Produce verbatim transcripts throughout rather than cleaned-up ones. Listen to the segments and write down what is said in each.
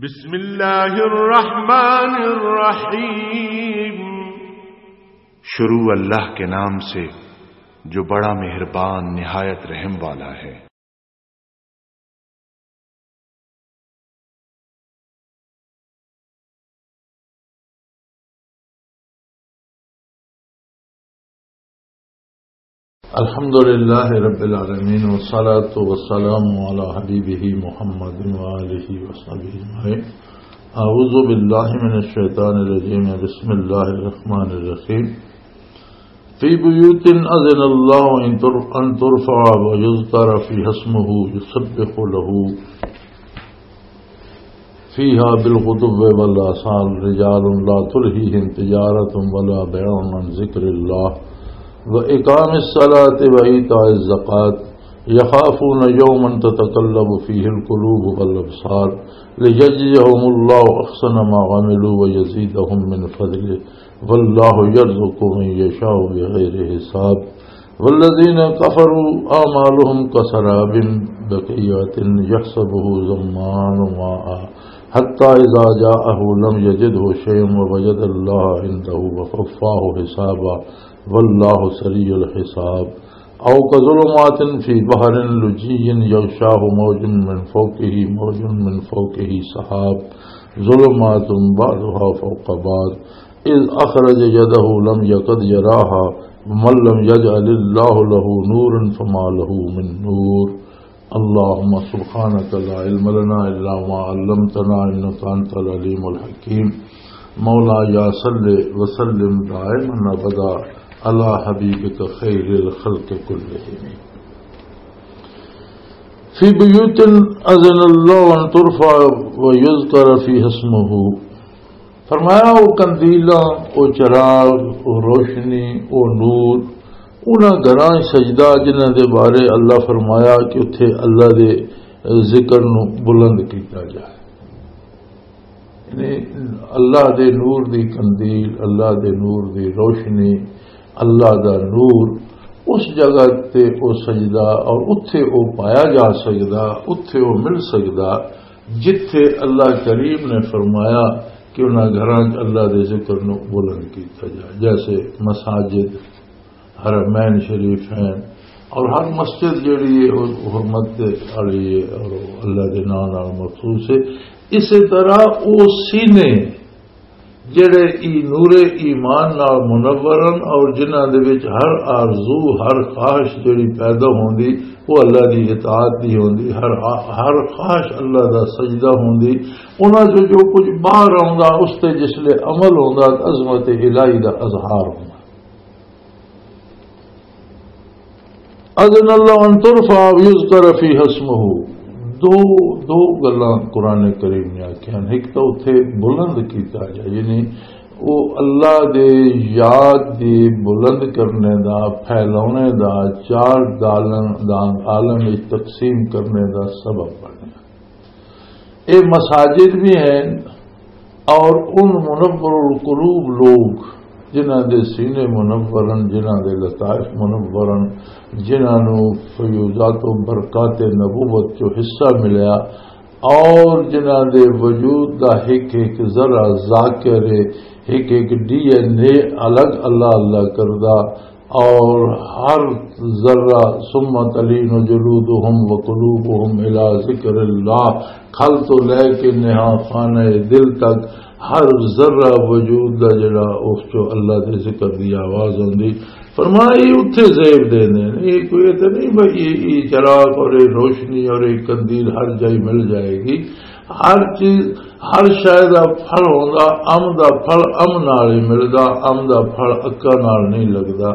بسم اللہ الرحمن الرحیم۔ شروع اللہ کے نام سے جو بڑا مہربان نہایت رحم والا ہے۔ الحمد لله رب العالمين، والصلاة والسلام على حبيبه محمد وآله وصحبه أجمعين. أعوذ بالله من الشيطان الرجيم. بسم الله الرحمن الرحيم. في بيوت أذن الله أن تر-، أن ترفع ويذكر فيها اسمه يسبح له فيها بالغدو والآصال رجال لا تلهيهم تجارة ولا بيع عن ذكر الله وإقام الصلاة وإيتاء الزكاة يخافون يوما تتقلب فيه القلوب والأبصار ليجزيهم الله أحسن ما عملوا ويزيدهم من فضله والله يرزق من يشاء بغير حساب. والذين كفروا أعمالهم كسراب بقيعة يحسبه الظمآن ماء حتى إذا جاءه لم يجده شيئا ووجد الله عنده فوفاه حسابه والله سريع الحساب. أو كظلمات في بحر لجي يغشاه موج من فوقه موج من فوقه سحاب ظلمات بعضها فوق بعض إذ أخرج يده لم يكد يراها ومن لم يجعل الله له نورا فما له من نور. اللهم سبحانك لا علم لنا إلا ما علمتنا إنك أنت العليم الحكيم. مولاي صل وسلم دائما أبدا على حبيبك خير الخلق كلهم. في بيوت أذن الله أن ترفع ويذكر فيها اسمه. فرمایا، او قندیلاں، او چراغ، او روشنی، او نور، انہاں گھراں سجدہ جنہاں دے بارے اللہ فرمایا کہ اتھے اللہ دے ذکر نو بلند کیتا جائے۔ یعنی اللہ دے نور دی قندیل، اللہ دے نور دی روشنی، اللہ دا نور، اس جگہ تے او سجدہ اور اتھے او پایا جا سکدا، اتھے او مل سکدا، جتھے اللہ کریم نے فرمایا کہ انہاں گھراں چ اللہ دے ذکر نو بلند کیتا جائے، جیسے مساجد، حرمین شریف ہیں، اور ہر مسجد جڑی ہے، وہ حرمت دے والی ہے اور وہ اللہ دے نام نال مخصوص ہے۔ اسی طرح وہ سینے جڑے ای نور ایمان نال منور ہیں اور جنہاں دے وچ ہر آرزو، ہر خواہش جڑی پیدا ہوندی، وہ اللہ دی اطاعت دی ہوندی، ہر، ہر خواہش اللہ دا سجدہ ہوندی، انہاں چوں جو کچھ باہر آوندا، اس تے جس لے عمل ہوندا، عظمت الہی دا اظہار ہوندا۔ اذن اللہ ان ترفع ویذکر فیہا اسمہ۔ دو، دو گلاں قرآن کریم نے آکھیاں، ایک تو اتھے بلند کیتا جائے، یعنی وہ اللہ دے یاد دی بلند کرنے دا، پھیلاونے دا، چار دالن دا عالم وچ تقسیم کرنے دا سبب بنے۔ اے مساجد بھی ہیں اور ان منور القلوب لوگ جنہاں دے سینے منور ہیں، جنہاں دے لطائف منور ہیں، جنہاں نو فیوضات و برکات نبوت چو حصہ ملیا اور جنہاں دے وجود دا ایک ایک ذرہ ذاکر ہے، ایک ایک ڈی این اے الگ اللہ اللہ کردہ، اور ہر ذرہ، ثم تلین جلودہم وقلوبہم الی ذکر اللہ، کھل تو لے کے نہا خانہ دل تک ہر ذرہ وجود دا جڑا اس چو اللہ دے ذکر دی آواز ہوندی۔ فرمایا، یہ اتھے زیب دے نے، یہ کوئی تے نہیں بھائی، یہ، یہ چراغ اور یہ روشنی اور یہ قندیل ہر جائی مل جائے گی۔ ہر چیز، ہر شے دا پھل ہوندا، ام دا پھل ام نال ہی ملدا، ام دا پھل اکا نال نہیں لگدا،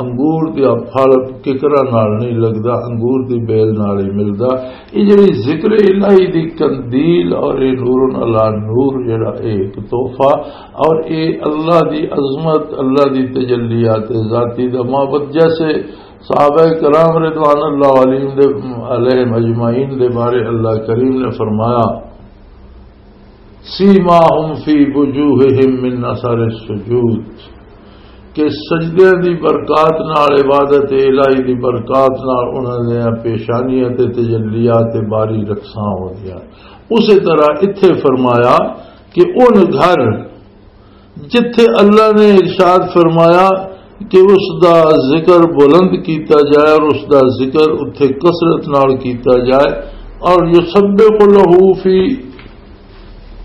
انگور دا پھل ککرا نال نہیں لگدا، انگور دی بیل نال ہی ملدا۔ یہ جڑی ذکر الہی دی قندیل اور یہ نور علی نور جڑا ایک تحفہ اور یہ اللہ دی عظمت، اللہ دی تجلیات ذاتی دا معبد، جیسے صحابہ کرام رضوان اللہ علیہم دے، علیہم اجمعین دے بارے اللہ کریم نے فرمایا، سیماہم فی وجوہہم من اثر السجود، کہ سجدے دی برکات نال، عبادت الہی دی برکات نال انہاں دیاں پیشانیاں تے تجلیات باری رقصاں ہوندیاں۔ اسی طرح اتھے فرمایا کہ ان گھر جتھے اللہ نے ارشاد فرمایا کہ اس دا ذکر بلند کیتا جائے اور اس دا ذکر اتھے کثرت نال کیتا جائے، اور یسبح لہ فی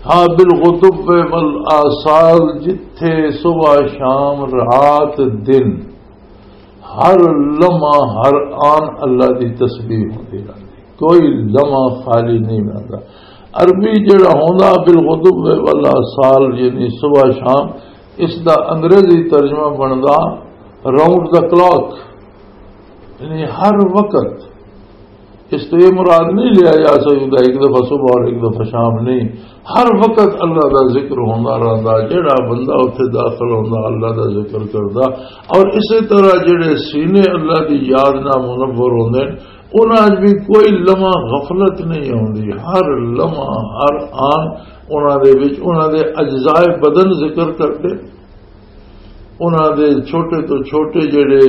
ہا بالغدو والآصال، جتھے صبح شام رات دن ہر لمحہ ہر آن اللہ دی تسبیح ہوندی رہندی، کوئی لمحہ خالی نہیں رہندا۔ عربی جڑا ہوندا بالغدو والآصال، یعنی صبح شام، اس دا انگریزی ترجمہ بندا راؤنڈ دا کلاک، یعنی ہر وقت۔ اس تو یہ مراد نہیں لیا جا سکتا ایک دفعہ صبح اور ایک دفعہ شام، نہیں، ہر وقت اللہ دا ذکر ہوندا رہندا۔ جڑا بندہ اتھے داخل ہوندا، اللہ دا ذکر کردا۔ اور اسی طرح جڑے سینے اللہ دی یاد نال منور ہوندے نے، انہاں 'چ بھی کوئی لمحہ غفلت نہیں ہوندی، ہر لمحہ ہر آن انہاں دے وچ انہاں دے اجزائے بدن ذکر کردے، انہاں دے چھوٹے تو چھوٹے جڑے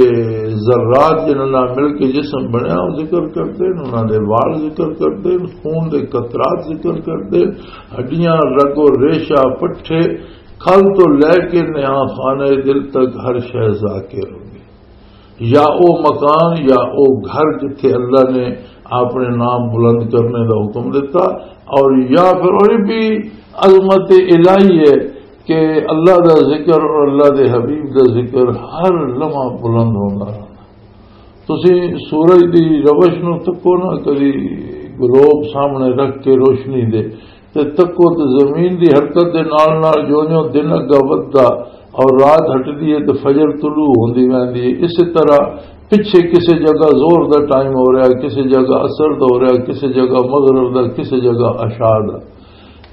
ذرات جنہاں نال مل کے جسم بنیا، وہ ذکر کردے نے، انہاں دے وال ذکر کردے نے، خون دے قطرات ذکر کردے نے، ہڈیاں، رگ و ریشہ، پٹھے، کھل تو لے کے نہاں خانہ دل تک ہر شے ذاکر ہوندی۔ یا او مکان یا او گھر جتھے اللہ نے اپنے نام بلند کرنے دا حکم دیتا، اور یا پھر اور بھی عظمت الہی ہے کہ اللہ دا ذکر اور اللہ دے حبیب دا ذکر ہر لمحہ بلند ہوندا رہنا۔ تسی سورج دی روش نو تکو نہ، کدی گلوب سامنے رکھ کے روشنی دے، تے تکو تے زمین دی حرکت دے نال نال جو جو دن اگا ودھدا اور رات ہٹدی ہے تے فجر طلوع ہوندی ویندی ہے۔ اسی طرح پچھے کسے جگہ ظہر دا ٹائم ہو رہا ہے، کسے جگہ عصر دا ہو رہا ہے، کسے جگہ مغرب دا، کسے جگہ عشاء دا۔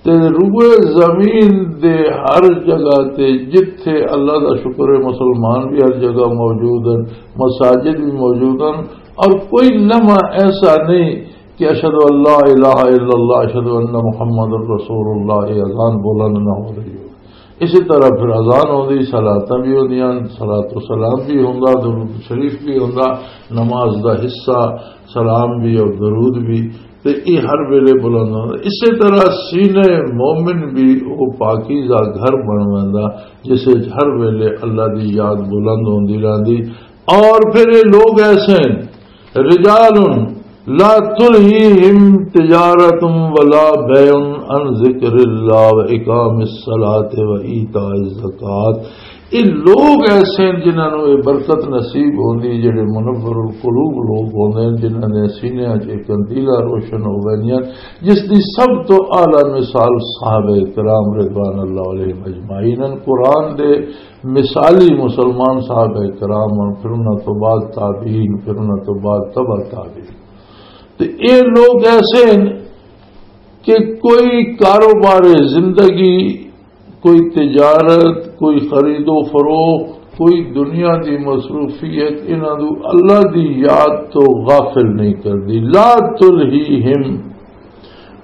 تے روئے زمین دے ہر جگہ تے جتھے اللہ دا شکر ہے، مسلمان بھی ہر جگہ موجود ہیں، مساجد بھی موجود ہیں، اور کوئی لمحہ ایسا نہیں کہ اشہد ان لا الہ الا اللہ، اشہد ان محمد رسول اللہ، یہ اذان بلند نہ ہو رہی ہو۔ اسی طرح پھر اذان ہوندی، صلاتاں بھی ہوندیاں، صلات و سلام بھی ہوندا، درود شریف بھی ہوندا، نماز دا حصہ سلام بھی اور درود بھی، تے یہ ہر ویلے بلند ہوندا۔ اسی طرح سینے مومن بھی وہ پاکیزہ گھر بن ویندا، جس وچ ہر ویلے اللہ دی یاد بلند ہوندی رہندی۔ اور پھر یہ لوگ ایسے ہیں، رجال لا تلہیہم تجارت ولا بیع عن ذکر اللہ و اقام الصلاۃ و ایتاء الزکات۔ یہ لوگ ایسے ہیں جنہاں نوں یہ برکت نصیب ہوندی، جڑے منور القلوب لوگ ہوندے ہیں، جنہاں دے سینیاں 'چ ایک قندیلہ روشن ہو ویندیاں، جس دی سب تو اعلیٰ مثال صحابہ کرام رضوان اللہ علیہم اجمعین ہیں۔ قرآن دے مثالی مسلمان صحابہ کرام ہن، پھر انہاں تو بعد تابعین، پھر انہاں تو بعد تبع تابعین۔ تے اے لوگ ایسے ہیں کہ کوئی کاروبار زندگی، کوئی تجارت، کوئی خرید و فروخت، کوئی دنیا دی مصروفیت انہاں نوں اللہ دی یاد تو غافل نہیں کردی۔ لا تلہیہم،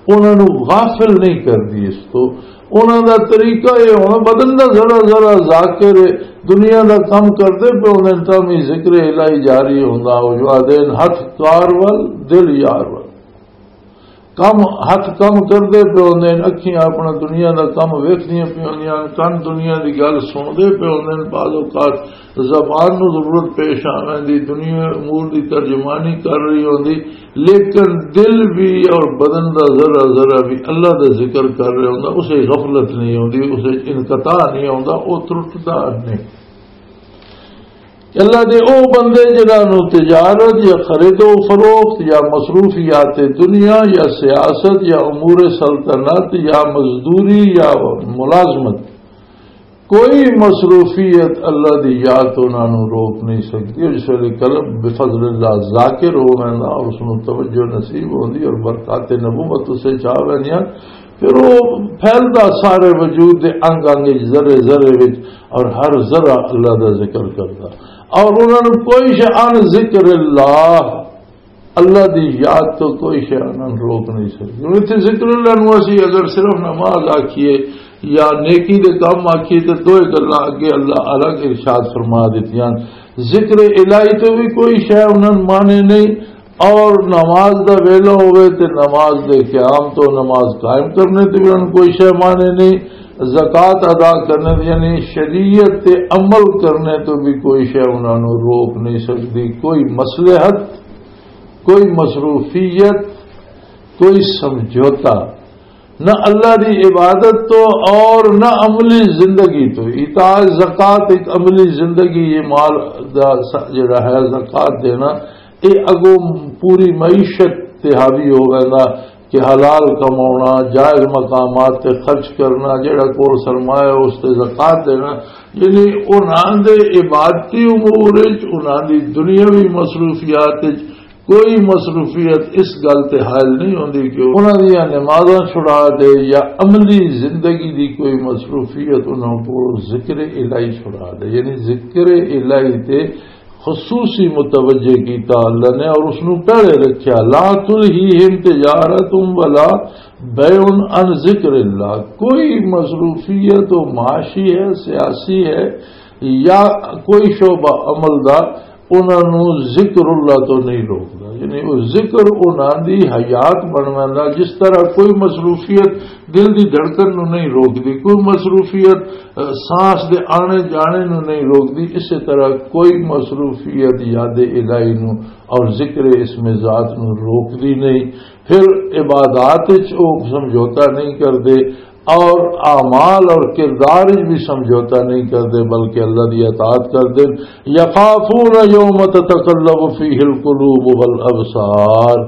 انہاں نوں غافل نہیں کردی اس تو۔ انہاں دا طریقہ یہ ہونا، بدن دا ذرا ذرا ذاکر ہے، دنیا دا کم کردے پہ انہاں تم ہی ذکر الہی جاری ہوندا ہو، جو آدھے ہتھ کار ول، دل یار ول۔ کم، ہتھ کم کردے پہ ہوندے نے، اکھیاں اپنا دنیا دا کم ویکھدیاں پہ ہوندیاں نے، کن دنیا دی گل سندے پہ ہوندے نے، بعض اوقات زبان نو ضرورت پیش آ ویندی، دنیا امور دی ترجمانی کر رہی ہوندی، لیکن دل بھی اور بدن دا ذرا ذرا بھی اللہ دا ذکر کر رہا ہوندا، اسے غفلت نہیں ہوندی، اسے انقطاع نہیں ہوندا، او ترٹدا نہیں۔ اللہ دے او بندے جنہاں نوں تجارت یا خرید و فروخت یا مصروفیات دنیا یا سیاست یا امور سلطنت یا مزدوری یا ملازمت، کوئی مصروفیت اللہ دی یاد تو انہاں نوں روک نہیں سکتی۔ اور جس ویلے قلب بفضل اللہ ذاکر ہو ویندا اور اس نوں توجہ نصیب ہوندی اور برکات نبوت اسے چاہ ویندیاں، پھر وہ پھیلدا سارے وجود دے انگ انگ وچ، ذرے ذرے وچ، اور ہر ذرہ اللہ دا ذکر کردا، اور انہاں نوں کوئی شے عن ذکر اللہ، اللہ دی یاد تو کوئی شے انہاں نوں روک نہیں سکدی۔ ہن اتھے ذکر اللہ نوں اسی اگر صرف نماز آکھیے یا نیکی دے کم آکھیے تے دوئے گلاں اگے اللہ الگ ارشاد فرما دتیاں۔ ذکر الہی تو بھی کوئی شے انہاں نوں مانے نہیں، اور نماز دا ویلا ہوئے تے نماز دے قیام تو، نماز قائم کرنے تے بھی انہوں کوئی شے مانے نہیں۔ زکوٰۃ ادا کرنے تے، یعنی شریعت تے عمل کرنے تو بھی کوئی شے انہاں نوں روک نہیں سکدی، کوئی مصلحت، کوئی مصروفیت، کوئی سمجھوتا، نہ اللہ دی عبادت تو اور نہ عملی زندگی تو۔ ایتاء زکوٰۃ ایک عملی زندگی، یہ مال دا س-، جڑا ہے زکوٰۃ دینا، یہ اگوں پوری معیشت تے حاوی ہو ویندا کہ حلال کماؤنا، جائز مقامات تے خرچ کرنا، جڑا کول سرمایہ اس تے زکوٰۃ دینا، یعنی انہاں دے عبادتی امور وچ، انہاں دی دنیاوی مصروفیات وچ کوئی مصروفیت اس گل تے حائل نہیں ہوندی کہ انہاں دیاں نمازاں چھڑا دے یا عملی زندگی دی کوئی مصروفیت انہاں کو ذکر الہی چھڑا دے۔ یعنی ذکر الہی تے خصوصی متوجہ کیتا اللہ نے اور اس نو پہلے رکھیا۔ لا تلہیہم تجارت ولا بیع عن ذکر اللہ۔ کوئی مصروفیت و معاشی ہے، سیاسی ہے یا کوئی شعبہ عمل دا، انہاں نوں ذکر اللہ تو نہیں روکدا۔ یعنی وہ ذکر انہاں دی حیات بن ویندا۔ جس طرح کوئی مصروفیت دل دی دھڑکن نوں نہیں روکدی، کوئی مصروفیت، اہ، سانس دے آنے جانے نوں نہیں روکدی، اسی طرح کوئی مصروفیت یاد الہی نوں اور ذکر اسم ذات نوں روکدی نہیں۔ پھر عبادات وچ وہ سمجھوتا نہیں کردے، اور اعمال اور کردار وچ بھی سمجھوتا نہیں کردے، بلکہ اللہ دی اطاعت کردے۔ یخافون یوم تتقلب فیہ القلوب والابصار،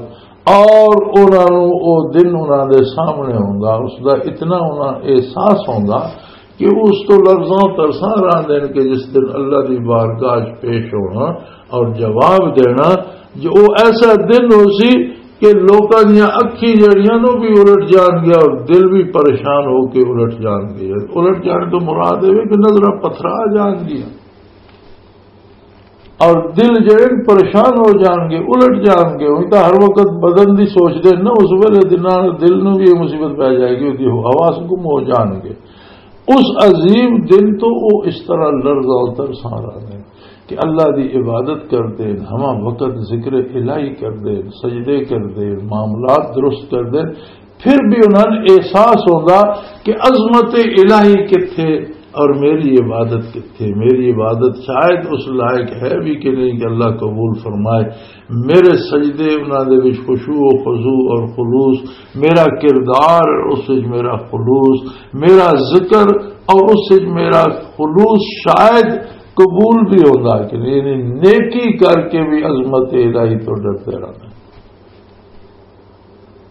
اور انہاں نوں او دن انہاں دے سامنے ہوندا، اس دا اتنا انہاں احساس ہوندا کہ اس تو لرزاں ترساں رہندے نے کہ جس دن اللہ دی بارگاہ وچ پیش ہونا اور جواب دینا، جو او ایسا دن ہو سی کہ لوکاں دیاں اکھیں جڑیاں نوں بھی الٹ جان گیا اور دل بھی پریشان ہو کے الٹ جان گیا۔ الٹ جان تو مراد ہے کہ نظراں پتھرا جان گیا اور دل جڑے پریشان ہو جان گے، الٹ جان گے۔ وہ تو ہر وقت بدن دی سوچ دے نا، اس ویلے دل نوں بھی یہ مصیبت پی جائے گی، اس دی حواس گم ہو جان گے۔ اس عظیم دن تو وہ اس طرح لرزا اتر سارا دے کہ اللہ دی عبادت کردے، ہما وقت ذکر الہی کردے، سجدے کردے، معاملات درست کردے، پھر بھی انہاں نوں احساس ہوندا کہ عظمت الہی کتھے اور میری عبادت کتھے۔ میری عبادت شاید اس لائق ہے بھی کہ نہیں کہ اللہ قبول فرمائے۔ میرے سجدے انہاں دے وچ خشوع و خضوع اور خلوص، میرا کردار اس وچ میرا خلوص، میرا ذکر اور اس وچ میرا خلوص شاید قبول بھی ہوندا کہ نہیں، یعنی نیکی کر کے بھی عظمت الہی تو ڈرتے رہنا۔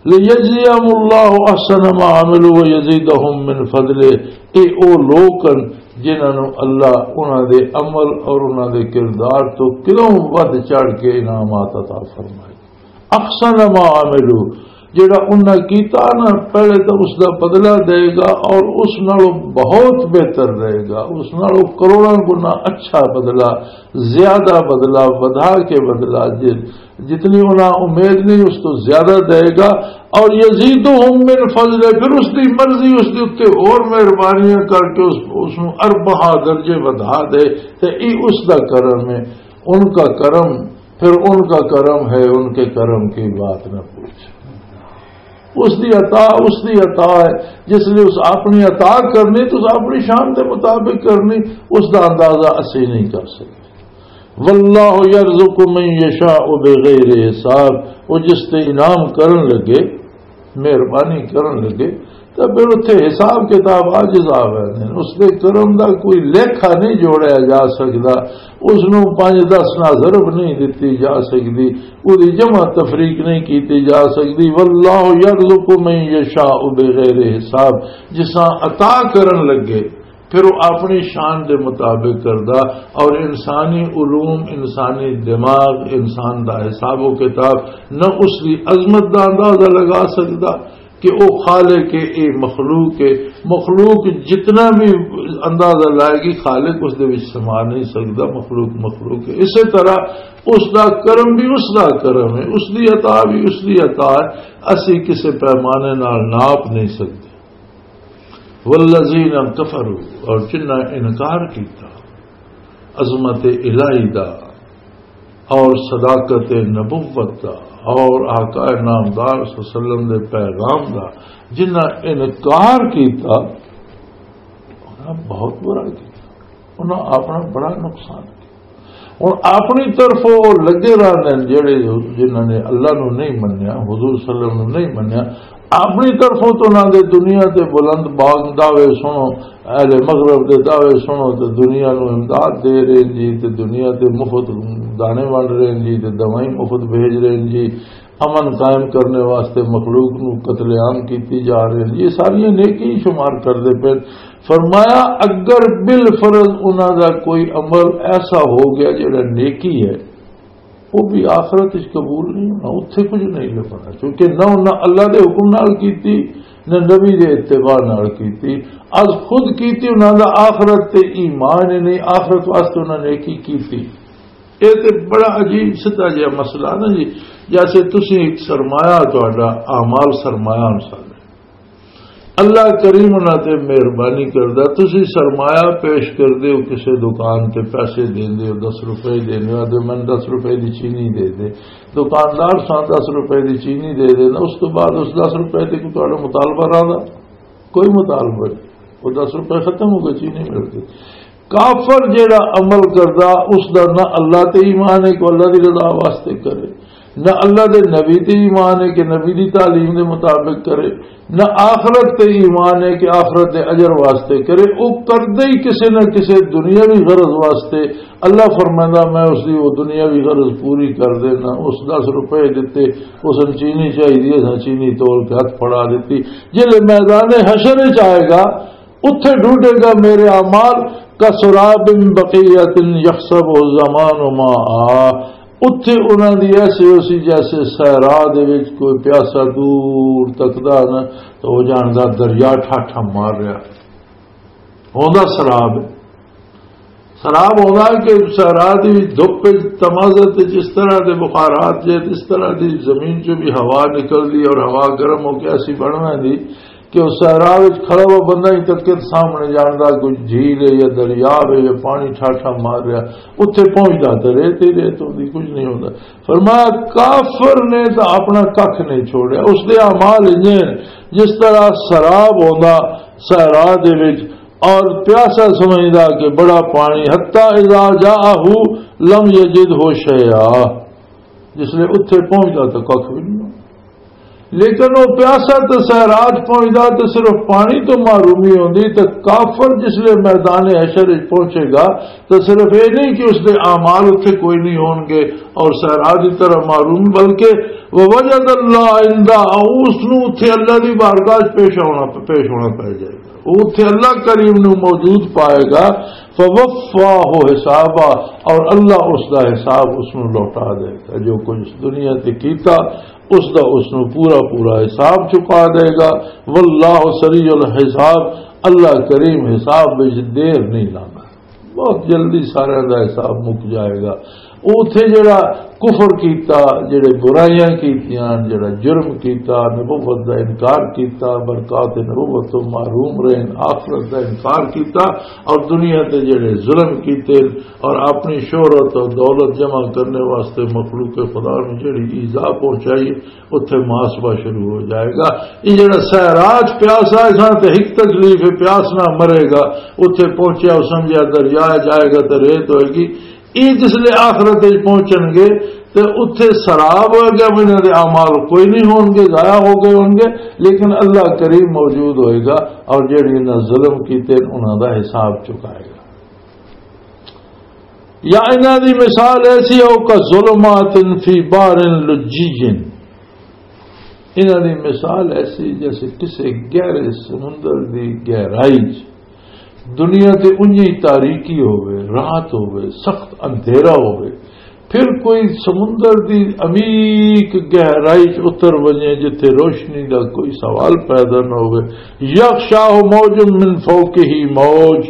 لیجزیہم اللہ احسن ما عملوا ویزیدہم من فضلہ۔ اے او لوگ ہن جنہاں نوں اللہ انہاں دے عمل اور انہاں دے کردار تو کدوں ودھ چڑھ کے انعامات عطا فرمائے۔ احسن ما عملوا، جڑا انہاں کیتا نا، پہلے تو اس دا بدلہ دے گا اور اس نالوں بہت بہتر رہے گا، اس نالوں کروڑاں گنا اچھا بدلہ، زیادہ بدلہ، ودھا کے بدلہ، جس جتنی انہاں امید نہیں، اس تو زیادہ دے گا۔ اور یزیدہم من فضلہ، پھر اس دی مرضی، اس دے اُتے اور مہربانیاں کر کے اس، اس نوں اربعہ درجے ودھا دے۔ تے ای اس دا کرم ہے، ان کا کرم، پھر ان کا کرم ہے، ان کے کرم کی بات نہ پوچھ۔ اس دی عطا، اس دی عطا ہے۔ جس نے اس اپنی عطا کرنی تو اس اپنی شان دے مطابق کرنی، اس دا اندازہ اسی نہیں کر سکتے۔ واللہ یرزق من یشاء بغیر حساب، وہ جس تے انعام کرن لگے، مہربانی کرن لگے، تو پھر اتھے حساب کتاب عاجز آ ویندے نے۔ اس دے کرم دا کوئی لیکھا نہیں جوڑیا جا سکدا، اس نوں پنج دس نہ ضرب نہیں دتی جا سکدی، وہ دی جمع تفریق نہیں کیتی جا سکدی۔ واللہ یرزق من یشاء بغیر حساب، جساں عطا کرن لگے، پھر وہ اپنی شان دے مطابق کردا۔ اور انسانی علوم، انسانی دماغ، انسان دا حساب و کتاب نہ اس دی عظمت دا اندازہ لگا سکدا کہ وہ خالق ہے، اے مخلوق ہے۔ مخلوق جتنا بھی اندازہ لائے گی، خالق اس دے وچ سما نہیں سکدا۔ مخلوق مخلوق ہے۔ اسی طرح اس دا کرم بھی اس دا کرم ہے، اس دی عطا بھی اس دی عطا ہے۔ اسی کسے پیمانے نال ناپ نہیں سکدے۔ والذین کفروا، اور جنہاں انکار کیتا عظمت الہی دا، اور صداقت نبوت دا اور آقا نامدار صلی اللہ علیہ وسلم دے پیغام دا جنہاں انکار کیتا، انہاں بہت برا کیتا، انہاں اپنا بڑا نقصان کیتا۔ ہن اپنی طرفوں او لگے رہندے نے جڑے، جنہاں نے اللہ نو نہیں منیا، حضور صلی اللہ علیہ وسلم نو نہیں منیا، اپنی طرفوں تو انہاں دے دنیا تے بلند باغ دعوے سنو، اہل مغرب دے دعوے سنو تے دنیا نو امداد دے رہے جی، تے دنیا تے مفت دانے ونڈ رہے جی، تے دوائیں مفت بھیج رہے جی، امن قائم کرنے واسطے مخلوق نو قتل عام کیتی جا رہے جی، یہ ساری نیکی ہی شمار کر دے پے۔ فرمایا، اگر بالفرض انہاں دا کوئی عمل ایسا ہو گیا جڑا نیکی ہے، وہ بھی آخرت وچ قبول نہیں ہونا، اتھے کچھ نہیں لبھنا، کیونکہ نہ انہاں اللہ دے حکم نال کیتی، نہ نبی دے اتباع نال کیتی۔ از خود کیتی انہاں دا آخرت تے ایمان ہی نہیں، آخرت واسطے انہاں نے کی کیتی؟ اے تے بڑا عجیب سدھا جہا مسئلہ نا جی، جیسے تسی ایک سرمایہ، تہاڈا اعمال سرمایہ انسان ہے۔ اللہ کریم انہاں تے مہربانی کردا، تسی سرمایہ پیش کردے ہو، کسے دکان تے پیسے دیندے ہو، دس روپے دیندے ہو، آدھے، "مینوں دس روپے دی چینی دے دے۔" دکاندار ساں دس روپے دی چینی دے دینا، اس تو بعد اس دس روپے تے کوئی تہاڈا مطالبہ رہندا؟ کوئی مطالبہ نہیں، وہ دس روپے ختم ہو گئے، چینی مل گئی۔ کافر جیڑا عمل کردا، اس دا نہ اللہ تے ایمان ہے کہ اللہ دی رضا واسطے کرے، نہ اللہ دے نبی تے ایمان ہے کہ نبی دی تعلیم دے مطابق کرے، نہ آخرت تے ایمان ہے کہ آخرت دے اجر واسطے کرے۔ او کردے ہی کسے نہ کسے دنیاوی غرض واسطے۔ اللہ فرمائندا، "میں اس دی وہ دنیاوی غرض پوری کر دینا۔" اس دس روپے دتے، اس نوں چینی چاہیے، اس نوں چینی تول کے ہاتھ پھڑا دیتی۔ جلے میدان حشر وچ آئے گا، اتھے ڈھونڈے گا میرے اعمال، "کسراب بقیۃ یحسبہ الظمآن ماء۔" اتھے انہاں دی ایسے اسی جیسے صحرا دے وچ کوئی پیاسا دور تکدا نا، تو وہ جاندا دریا ٹھاٹھا مار رہا۔ ہوندا سراب ہے۔ سراب ہوندا ہے کہ صحرا دی دھپ وچ، تمازت وچ اس طرح دے بخارات جے، اس طرح دی زمین چوں بھی ہوا نکلدی اور ہوا گرم ہو کے ایسی بن ویندی کہ اس صحرا وچ کھڑا ہوا بندہ ہی تک سامنے جاندا کوئی جھیل ہے یا دریا ہے یا پانی ٹھاٹھا مار رہا، اتھے پہنچدا تے ریت ہی ریت ہوندی، کچھ نہیں ہوندا۔ فرمایا، کافر نے تو اپنا ککھ نہیں چھوڑیا، اس دے اعمال انجے ہیں جس طرح سراب ہوندا صحرا دے وچ، اور پیاسا سمجھدا کہ بڑا پانی، حتی اذا جاءہ لم یجدہ شیئا، جس لے اتھے پہنچدا تو ککھ بھی نہیں ہوندا۔ لیکن وہ پیاسا تے صحرا چ پہنچدا تے صرف پانی تو محرومی ہوندی، تے کافر جس لے میدان حشر وچ پہنچے گا تو صرف یہ نہیں کہ اس دے اعمال اتھے کوئی نہیں ہون گے اور صحرا دی طرح محروم، بلکہ ووجد اللہ عندہ، اس نو اتھے اللہ دی بارگاہ چ پیش ہونا، پیش ہونا پے جائے گا۔ وہ اتھے اللہ کریم نو موجود پائے گا۔ فوفاہ حسابہ، اور اللہ اس دا حساب اس نو لوٹا دے گا۔ جو کچھ اس دنیا تے کیتا، اس دا اس نو پورا پورا حساب چکا دے گا۔ واللہ سریع الحساب، اللہ کریم حساب وچ دیر نہیں لاندا، بہت جلدی سارے دا حساب مک جائے گا۔ اوتھے جڑا کفر کیتا، جڑے برائیاں کیتیاں، جڑا جرم کیتا، نبوت دا انکار کیتا، برکات نبوت تو محروم رہن، آخرت دا انکار کیتا، اور دنیا تے جڑے ظلم کیتے اور اپنی شہرت اور دولت جمع کرنے واسطے مخلوق خدا نوں جڑی ایذا پہنچائی، اتھے محاسبہ شروع ہو جائے گا۔ یہ جڑا سیراج پیاسا ہے، ساں تے ہک تکلیف ہے، پیاس نہ مرے گا۔ اتھے پہنچیا، او سمجھیا دریا جائے گا تے ریت ہوئے گی۔ یہ جس لے آخرت وچ پہنچن گے تے اتھے سراب ہوئے گا، انہاں دے اعمال کوئی نہیں ہون گے، ضائع ہو گئے ہون گے، لیکن اللہ کریم موجود ہوئے گا اور جڑے انہاں ظلم کیتے انہاں دا حساب چکائے گا۔ یا انہاں دی مثال ایسی ہو، کا ظلمات فی بحر لجی، انہاں دی مثال ایسی جیسے کسے گہرے سمندر دی گہرائی چ، دنیا تے اونجی تاریکی ہوے، رات ہوے، سخت اندھیرا ہوے، پھر کوئی سمندر دی عمیق گہرائی چ اتر ونجے جتھے روشنی دا کوئی سوال پیدا نہ ہوے۔ یغشاہ موج من فوقہ موج،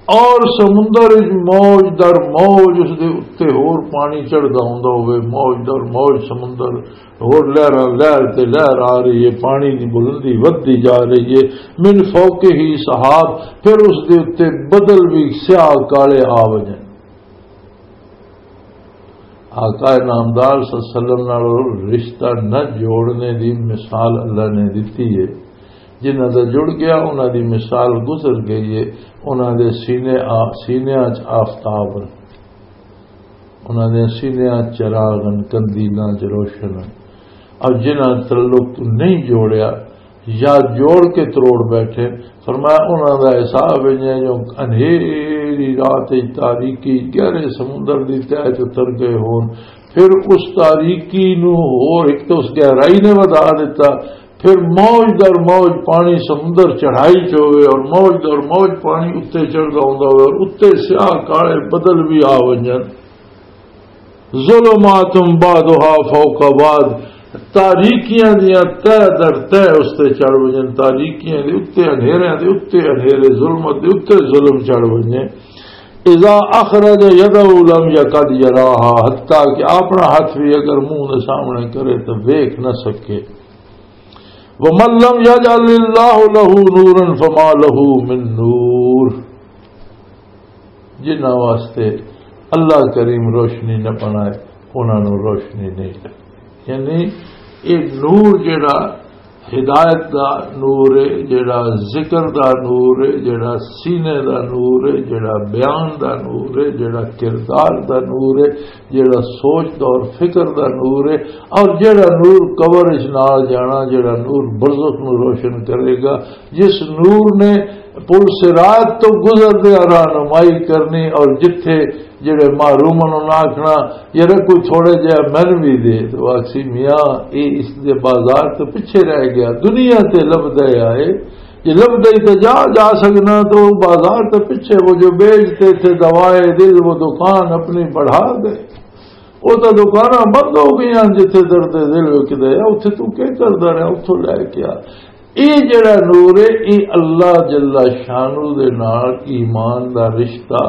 اور سمندر وچ موج در موج، اس دے اُتے ہور پانی چڑھدا ہوندا ہوئے، موج در موج سمندر، ہور لہراں، لہر تے لہر آ رہی ہے، پانی دی بلندی ودھدی جا رہی ہے۔ من فوقہ سحاب، پھر اس دے اُتے بدل بھی سیاہ کالے آ وجن۔ آقا نامدار صلی اللہ علیہ وسلم نال رشتہ نہ جوڑنے دی مثال اللہ نے دتی ہے۔ جنہاں دا جڑ گیا، انہاں دی مثال گزر گئی ہے۔ انہاں دے سینے آ-، سینیاں چ آفتاب ہن، انہاں دے سینیاں چ چراغ ہن، قندیلاں چ روشن ہن۔ اور جنہاں تعلق نہیں جوڑیا، یا جوڑ کے تروڑ بیٹھے۔ فرمایا، انہاں دا حساب انج ہے جو انہیری رات وچ تاریکی گہرے سمندر دی تہہ چ اتر گئے ہون۔ پھر اس تاریکی نو ہور ایک تو اس گہرائی نے ودھا دیتا، پھر موج در موج پانی سمندر چڑھائی چ ہوئے اور موج در موج پانی اتے چڑھدا ہوندا ہوئے اور اتے سیاہ کالے بدل بھی آ ونجن۔ ظلمات بعضها فوق بعض، تاریکیاں دیاں تہ در تہ اس تے چڑھ وجن، تاریکیاں دے اتے انہیریاں دے اتے انہیرے، ظلمت دے اتے ظلم چڑھ وجے۔ اذا اخرج يده لم يكد يراها، حتیٰ کہ اپنا ہاتھ بھی اگر منہ دے سامنے کرے تو ویکھ نہ سکے۔ ومن لم يجعل الله له نورا فما له من نور۔ جنہاں واسطے اللہ کریم روشنی نہ بنائے، انہاں نوں روشنی نہیں لگی۔ یعنی یہ نور جڑا ہدایت دا نور ہے، جڑا ذکر دا نور ہے، جڑا سینے دا نور ہے، جڑا بیان دا نور ہے، جڑا کردار دا نور ہے، جڑا سوچ دا اور فکر دا نور ہے، اور جڑا نور قبر اچ نال جانا، جڑا نور برزخ نوں روشن کرے گا، جس نور نے پل صراط تو گزردے رہنمائی کرنی، اور جتھے جڑے محروم ہن، انہاں آکھنا، "یار، کوئی تھوڑے جہا مین بھی دے۔" تو آکھسی، "میاں، اے اس دے بازار تو پیچھے رہ گیا، دنیا تے لبدا آئے، جے لبدا ہی تے جا، جا سکنا، تو بازار تو پیچھے وہ جو بیچتے تھے دوائے دل، وہ دکان اپنی بڑھا گئے۔" وہ تو دکاناں بند ہو گئیاں، جتھے درد دل وکدا ہے، اتھے تو کی کردا رہیا، اتھوں لے کے آ۔ اے جڑا نور ہے، اے اللہ جل شانہ دے نال ایمان دا رشتہ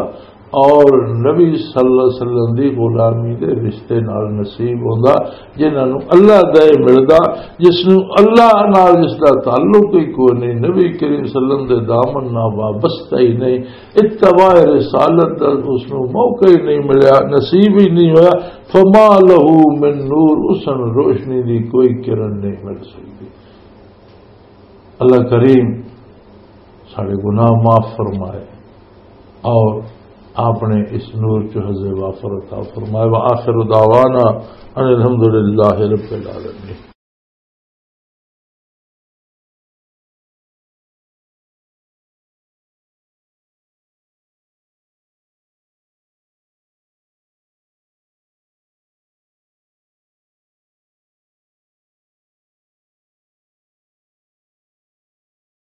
اور نبی صلی اللہ علیہ وسلم دی غلامی دے رشتے نال نصیب ہوندا، جنہاں نوں اللہ دا اے ملدا، جس نوں اللہ نال جس دا تعلق ہی کوئی نہیں، نبی کریم صلی اللہ علیہ وسلم دے دامن نال وابستہ ہی نہیں، اتباع رسالت دا اس نوں موقع ہی نہیں ملیا، نصیب ہی نہیں ہویا، فما لہ من نور، اس نوں روشنی دی کوئی کرن نہیں مل سکدی۔ اللہ کریم سارے گناہ معاف فرمائے اور آپ نے اس نور چ حظ وافر عطا فرمائے۔ وآخر دعوانا ان الحمدللہ رب العالمین۔